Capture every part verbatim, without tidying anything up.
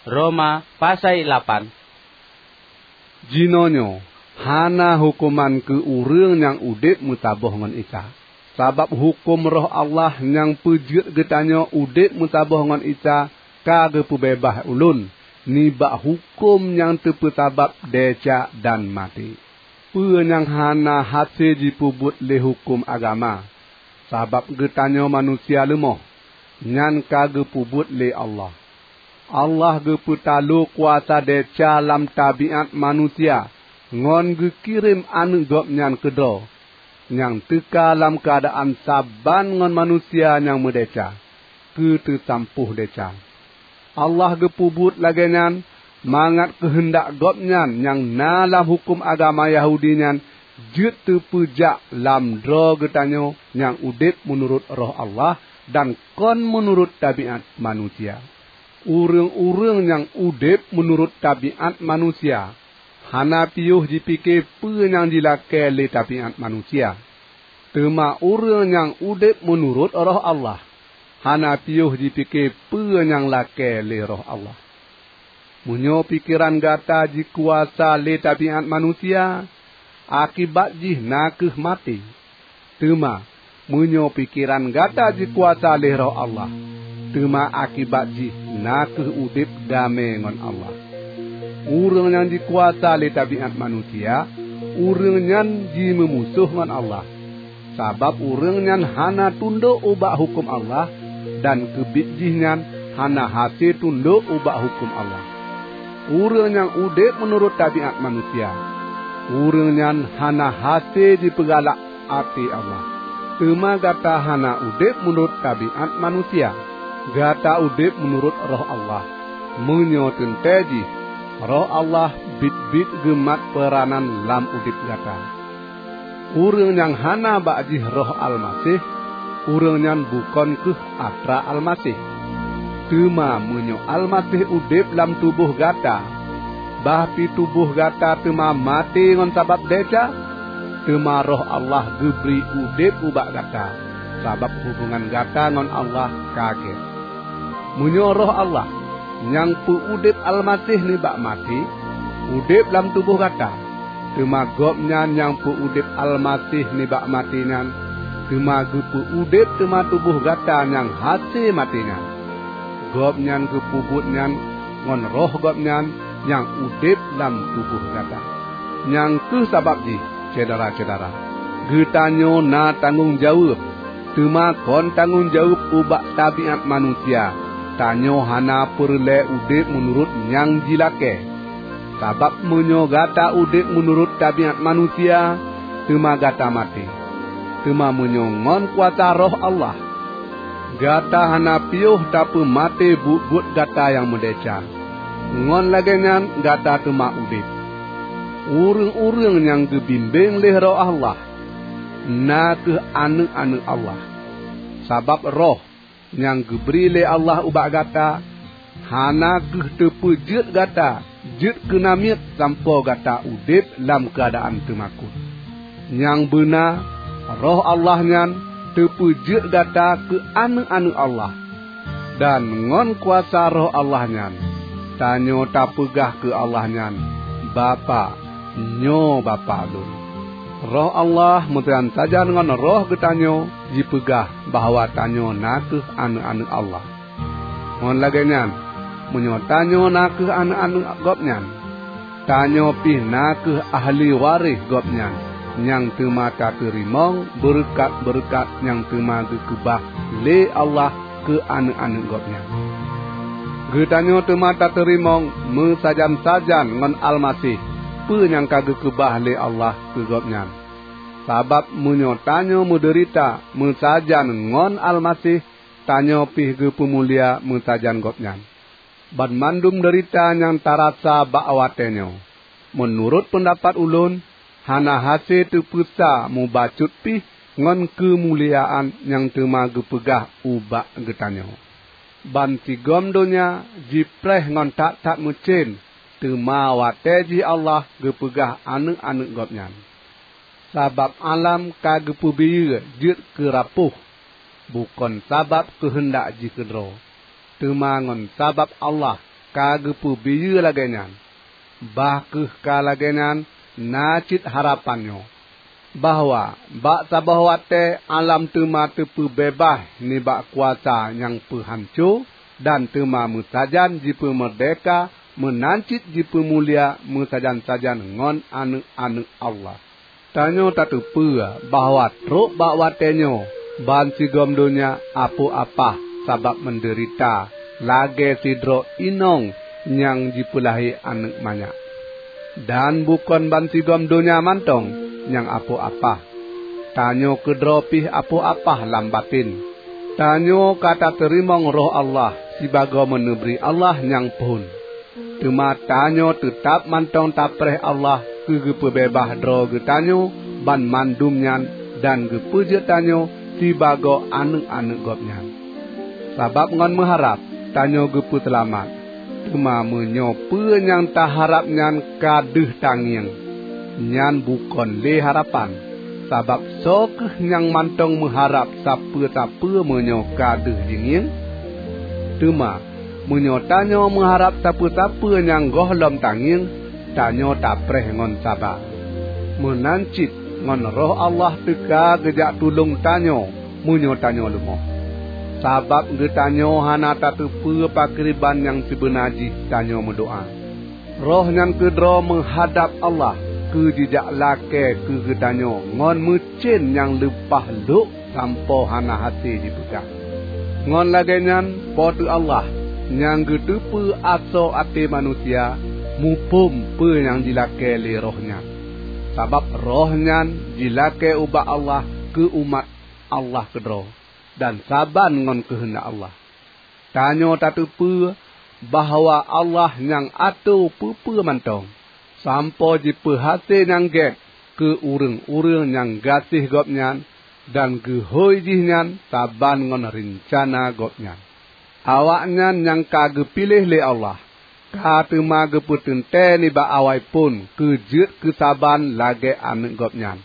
Roma pasai lapan. Jinoenyoe hana huköman keu ureuëng nyang udeb meusaboh ngon Isa, sabab huköm Roh Allah nyang peujeuet geutanyoe udeb meusaboh ngon Isa ka geupeubeubaih ulôn nibak huköm nyang teupeusabab desya dan maté. Peue nyang hana hase jipeubuet lé huköm agama, sabab geutanyoe manusia leumoh, nyan ka geupeubuet lé Allah. Allah geupeutalo kuasa desya lam tabiát manusia ngon geukirém Aneuëk Gobnyan keudroe, nyang teuka lam keuadaan saban ngon manusia nyang meudesya, keu teusampôh desya. Allah geupeubuet lagée nyan mangat keuheundak Gobnyan nyang na lam huköm agama Yahudi nyan jeuet teupeujak lam droe geutanyoe nyang udeb meunurot Roh Allah dan kon meunurot tabiát manusia. Ureuëng-ureuëng nyang udeb meunurot tabiát manusia hana piôh jipike peue nyang jilakée lé tabiát manusia. Teuma ureuëng nyang udeb meunurot Roh Allah hana piôh jipike peue nyang lakée lé Roh Allah. Meunyoe pikeran gata jikuasa lé tabiát manusia, akibat jih na kheueh maté. Teuma meunyoe pikeran gata jikuasa lé Roh Allah, teuma akibat jih na kheueh udeb damé ngon Allah. Ureuëng nyang jikuasa lé tabiát manusia, ureuëng nyan jimeumusoh ngon Allah, sabab ureuëng nyan hana tundok ubak huköm Allah, dan keubiet jih nyan hana hase tundok ubak huköm Allah. Ureuëng nyang udeb meunurot tabiát manusia, ureuëng nyan hana hase jipeugalak até Allah. Teuma gata hana udeb meunurot tabiát manusia, gata udeb meunurot Roh Allah. Meunyoe teuntée jih, Roh Allah biet-biet geumat peuranan lam udeb gata. Ureuëng nyang hana bak jih Roh Almaseh, ureuëng nyan bukon kheueh atra Almaseh. Teuma meunyoe Almaseh udeb lam tuboh gata, bah pi tuboh gata teuma maté ngon sabab desya, teuma Roh Allah geubri udeb ubak gata, sabab hubongan gata ngon Allah ka gét. Meunyoe Roh Allah, nyang peu-udeb Almaseh nibak maté, udeb lam tuboh gata, teuma Gobnyan nyang peu-udeb Almaseh nibak maté nyan, teuma geupeu-udeb teuma tuboh gata nyang hase maté nyan. Gobnyan geupeubuet nyan ngon Roh Gobnyan nyang udeb lam tuboh gata. Nyang kheueh sabab jih, syedara-syedara, geutanyoe na tanggong jaweueb, teuma kon tanggong jaweueb ubak tabiát manusia. Tanyoe hana peureulée udeb meunurot nyang jilakée. Sabab meunyoe gata udeb meunurot tabiát manusia, teuma gata maté. Teuma meunyoe ngon kuasa Roh Allah, gata hana piôh tapeumaté buet-buet gata nyang meudesya, ngon lagée nyan gata teuma udeb. Ureuëng-ureuëng nyang geubimbéng lé Roh Allah, na kheueh aneuëk-aneuëk Allah. Sabab Roh nyang geubri lé Allah ubak gata, hana kheueh teupeujeuet gata jeuet keu namiet sampoe gata udeb lam keuadaan teumakot. Nyang beuna, Roh Allah nyan teupeujeuet gata keu aneuëk-aneuëk Allah. Dan ngon kuasa Roh Allah nyan, tanyoe tapeugah keu Allah nyan, "Bapak, nyoe Bapak lôn." Roh Allah meusajan-sajan ngon roh geutanyoe jipeugah bahwa tanyoe na kheueh aneuëk-aneuëk Allah. Ngon lagée nyan, meunyoe tanyoe na kheueh aneuëk-aneuëk Gobnyan, tanyoe pih na kheueh ahli waréh Gobnyan nyang teuma tateurimong beureukat-beureukat nyang teuma geukeubah lé Allah keu aneuëk-aneuëk Gobnyan. Geutanyoe teuma tateurimong meusajan-sajan ngon Almaseh peue nyang ka geukeubah lé Allah keu Gobnyan. Sabab meunyoe tanyoe meudeurita meusajan ngon Almaseh, tanyoe pih geupeumulia meusajan Gobnyan. Banmandum deurita nyang tarasa bak watée nyoe, meunurot peundapat ulôn, hana hase teupeusa mubacut pih ngon keumuliaan nyang teuma geupeugah ubak geutanyoe. Bansigom donya jipreh ngon that-that meucén, teuma watée jih Allah geupeugah aneuëk-aneuëk Gobnyan. Sabab alam ka geupeubiyeu jeuet keu rapôh, bukon sabab keuheundak jih keudroe, teuma ngon sabab Allah ka geupeubiyeu lagée nyan. Bah kheueh ka lagée nyan na cit harapan nyoe, bahwa bak saboh watée alam teuma teupeubeubaih nibak kuasa nyang peuhanco, dan teuma meusajan jipeumeurdéhka meunan cit jipeumulia meusajan-sajan ngon aneuëk-aneuëk Allah. Tanyoe tateupeue bahwa trok bak watée nyoe bansigom donya apoh apah sabab meudeurita lagée sidroe inong nyang jipeulahé aneuëk manyak. Dan bukon bansigom donya mantong nyang apoh apah. Tanyoe keudroe pih apoh apah lam baten. Tanyoe ka tateurimong Roh Allah sibagoe meuneubri Allah nyang phon. Teuma tanyoe teutab mantong tapreh Allah keu geupeubeubaih droe geutanyoe banmandum nyan dan geupeujeuet tanyoe sibagoe aneuëk-aneuëk Gobnyan. Sabab ngon meuharab tanyoe geupeuseulamat, teuma meunyoe peue nyang taharab nyan ka deuh tangieng, nyan bukon lé harapan. Sabab soe kheueh nyang mantong meuharab sapeue-sapeue meunyoe ka deuh jingieng? Teuma meunyoe tanyoe meuharab sapeue-sapeue nyang gohlom tangieng, tanyoe tapreh ngon saba. Meunan cit ngon Roh Allah teuka geujak tulông tanyoe meunyoe tanyoe leumoh. Sabab geutanyoe hana tateupeue pakriban nyang sibeuna jih tanyoe meudoá. Roh nyan keudroe meuhadab Allah keu jijak lakée keu geutanyoe ngon meucen nyang leupah lhok sampoe hana hase jipeugah. Ngon lagée nyan, Po teu Allah nyang geuteupeue asoe até manusia muphom peue nyang jilakée lé Roh nyan. Sabab Roh nyan jilakée ubak Allah keu umat Allah keudroe, dan saban ngon keuheundak Allah. Tanyoe tateupeue bahwa Allah nyang atô peue-peue mantong, sampoe jipeuhase nyang gét keu ureuëng-ureuëng nyang gaséh Gobnyan dan geuhôi jihnyan saban ngon reuncana Gobnyan. Awaknyan nyang ka geupiléh lé Allah ka teuma geupeuteuntée nibak awai phon keu jeuet keu saban lagée aneuëk Gobnyan,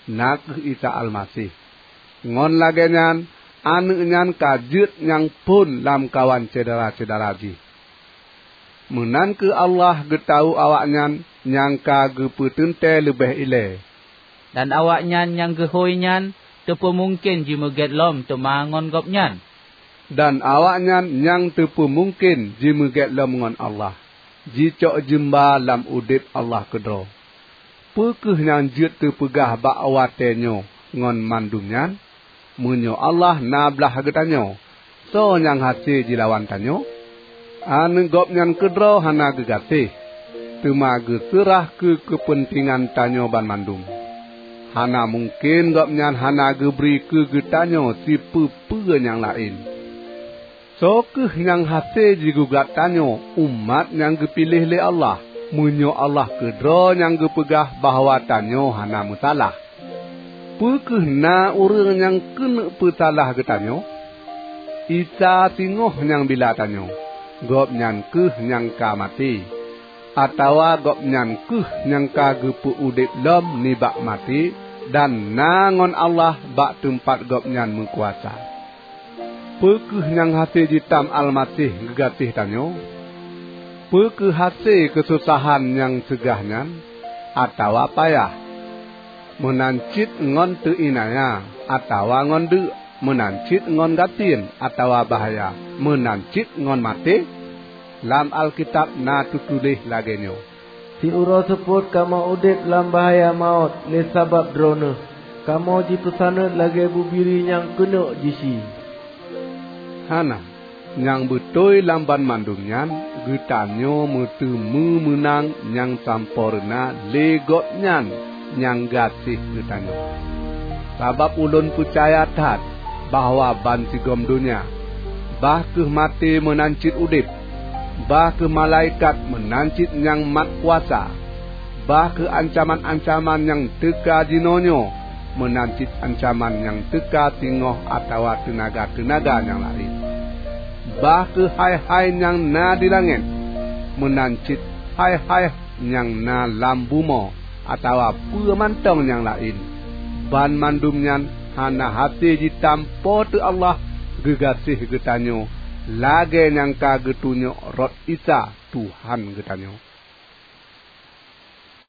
na kheueh Isa Almaseh. Ngon lagée nyan, aneuëk nyan ka jeuet nyang phon lamkawan syedara-syedara jih. Meunan kheueh Allah geutawök awaknyan nyang ka geupeuteuntée leubeh ilée. Dan awaknyan nyang geuhôi nyan teupeumungken jimeugét lom teuma ngon Gobnyan. Dan awaknyan nyang teupeumungken jimeugét lom ngon Allah, jicok jeumba lam udeb Allah keudroe. Peu kheueh nyang jeuet teupeugah bak watée nyoe ngon mandum nyan? Meunyoe Allah na blaih geutanyoe, soe nyang hase jilawan tanyoe? Aneuëk Gobnyan keudroe hana geugaséh, teuma geuseurah keu keupeuntengan tanyoe banmandum. Hana mungken Gobnyan hana geubri keu geutanyoe sipeue-peue nyang laén. Soe kheueh nyang hase jigugat tanyoe umat nyang geupiléh lé Allah, meunyoe Allah keudroe nyang geupeugah bahwa tanyoe hana meusalah? Peu kheueh na ureuëng nyang keuneuk peusalah geutanyoe? Isa singoh nyang bila tanyoe, Gobnyan kheueh nyang ka maté, atawa Gobnyan kheueh nyang ka geupeu udeb lom nibak maté dan na ngon Allah bak teumpat Gobnyan meukuasa. Peu kheueh nyang hase jitam Almaseh geugaséh tanyoe? Peu kheueh hase keusosahan nyang seugah nyan, atawa payah? Meunan cit ngon teuinaya atawa ngon deuk, meunan cit ngon gasien atawa bahya, meunan cit ngon maté? Lam Alkitab na teutuléh lagée nyoe, "Siuroe seupôt kamoe udeb lam bahya mawöt lé sabab Droeneueh, kamoe jipeusaneut lagée bubiri nyang keuneuk jisi." Hana! Nyang beutôi lam banmandum nyan, geutanyoe meuteumé meunang nyang sampoereuna lé Gobnyan nyang gaséh geutanyoe. Sabab ulôn peucaya that bahwa bansigom donya, bah kheueh maté meunan cit udeb, bah kheueh malaikat meunan cit nyang mat kuasa, bah kheueh ancaman-ancaman nyang teuka jinoenyoe meunan cit ancaman nyang teuka singoh atawa teunaga-teunaga nyang laén, bah kheueh hai-hai nyang na di langét meunan cit hai-hai nyang na lam bumoe atawa peue mantong nyang laén, banmandum nyan hana hase jitam Po teu Allah geugaséh geutanyoe lagée nyang ka geutunyok rot Isa, Tuhan geutanyoe.